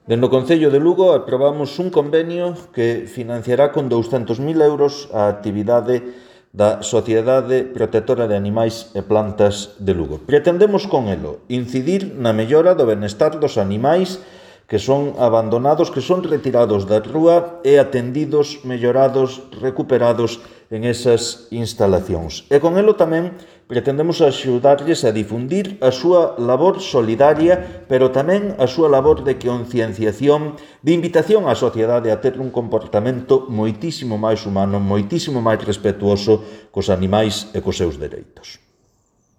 Dende o Concello de Lugo aprobamos un convenio que financiará con 200.000 euros a actividade da Sociedade Protectora de Animais e Plantas de Lugo. Pretendemos con elo incidir na mellora do benestar dos animais que son abandonados, que son retirados da rúa e atendidos, mellorados, recuperados en esas instalacións. E con elo tamén pretendemos axudarlles a difundir a súa labor solidaria, pero tamén a súa labor de concienciación, de invitación á sociedade a ter un comportamento moitísimo máis humano, moitísimo máis respetuoso cos animais e cos seus dereitos.